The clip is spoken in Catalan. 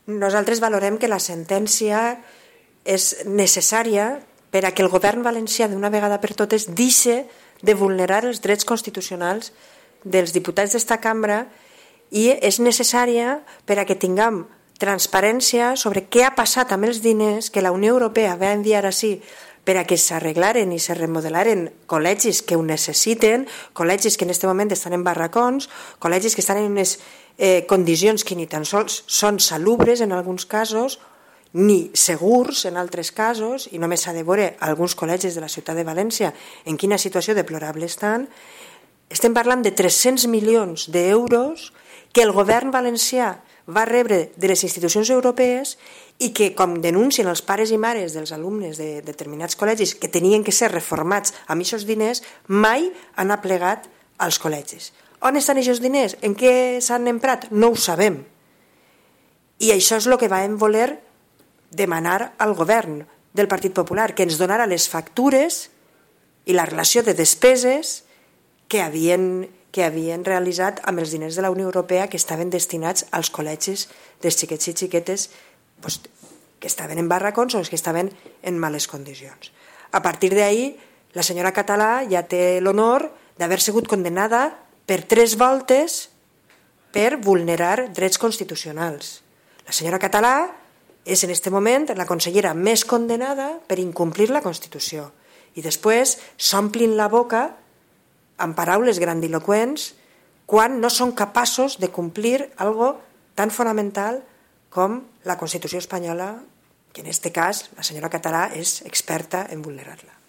Nosaltres valorem que la sentència és necessària per a que el govern valencià d'una vegada per totes deixi de vulnerar els drets constitucionals dels diputats d'esta cambra i és necessària per a que tinguem transparència sobre què ha passat amb els diners que la Unió Europea va enviar així per a que s'arreglaren i se remodelaren col·legis que ho necessiten, col·legis que en aquest moment estan en barracons, col·legis que estan en unes condicions que ni tan sols són salubres en alguns casos, ni segurs en altres casos, i només s'ha de veure alguns col·legis de la ciutat de València en quina situació deplorable estan. Estem parlant de 300 milions d'euros que el govern valencià va rebre de les institucions europees i que, com denuncien els pares i mares dels alumnes de determinats col·legis que tenien que ser reformats amb aquests diners, mai han aplegat als col·legis. On estan aquests diners? En què s'han emprat? No ho sabem. I això és el que vam voler demanar al govern del Partit Popular, que ens donara les factures i la relació de despeses que havien realitzat amb els diners de la Unió Europea que estaven destinats als col·legis dels xiquets i xiquetes que estaven en barracons o que estaven en males condicions. A partir d'ahí, la senyora Català ja té l'honor d'haver sigut condenada per 3 voltes per vulnerar drets constitucionals. La senyora Català és en aquest moment la consellera més condenada per incomplir la Constitució. I després s'omplin la boca amb paraules grandiloqüents quan no són capaços de complir algo tan fonamental com la Constitució espanyola, que en aquest cas la senyora Català és experta en vulnerar-la.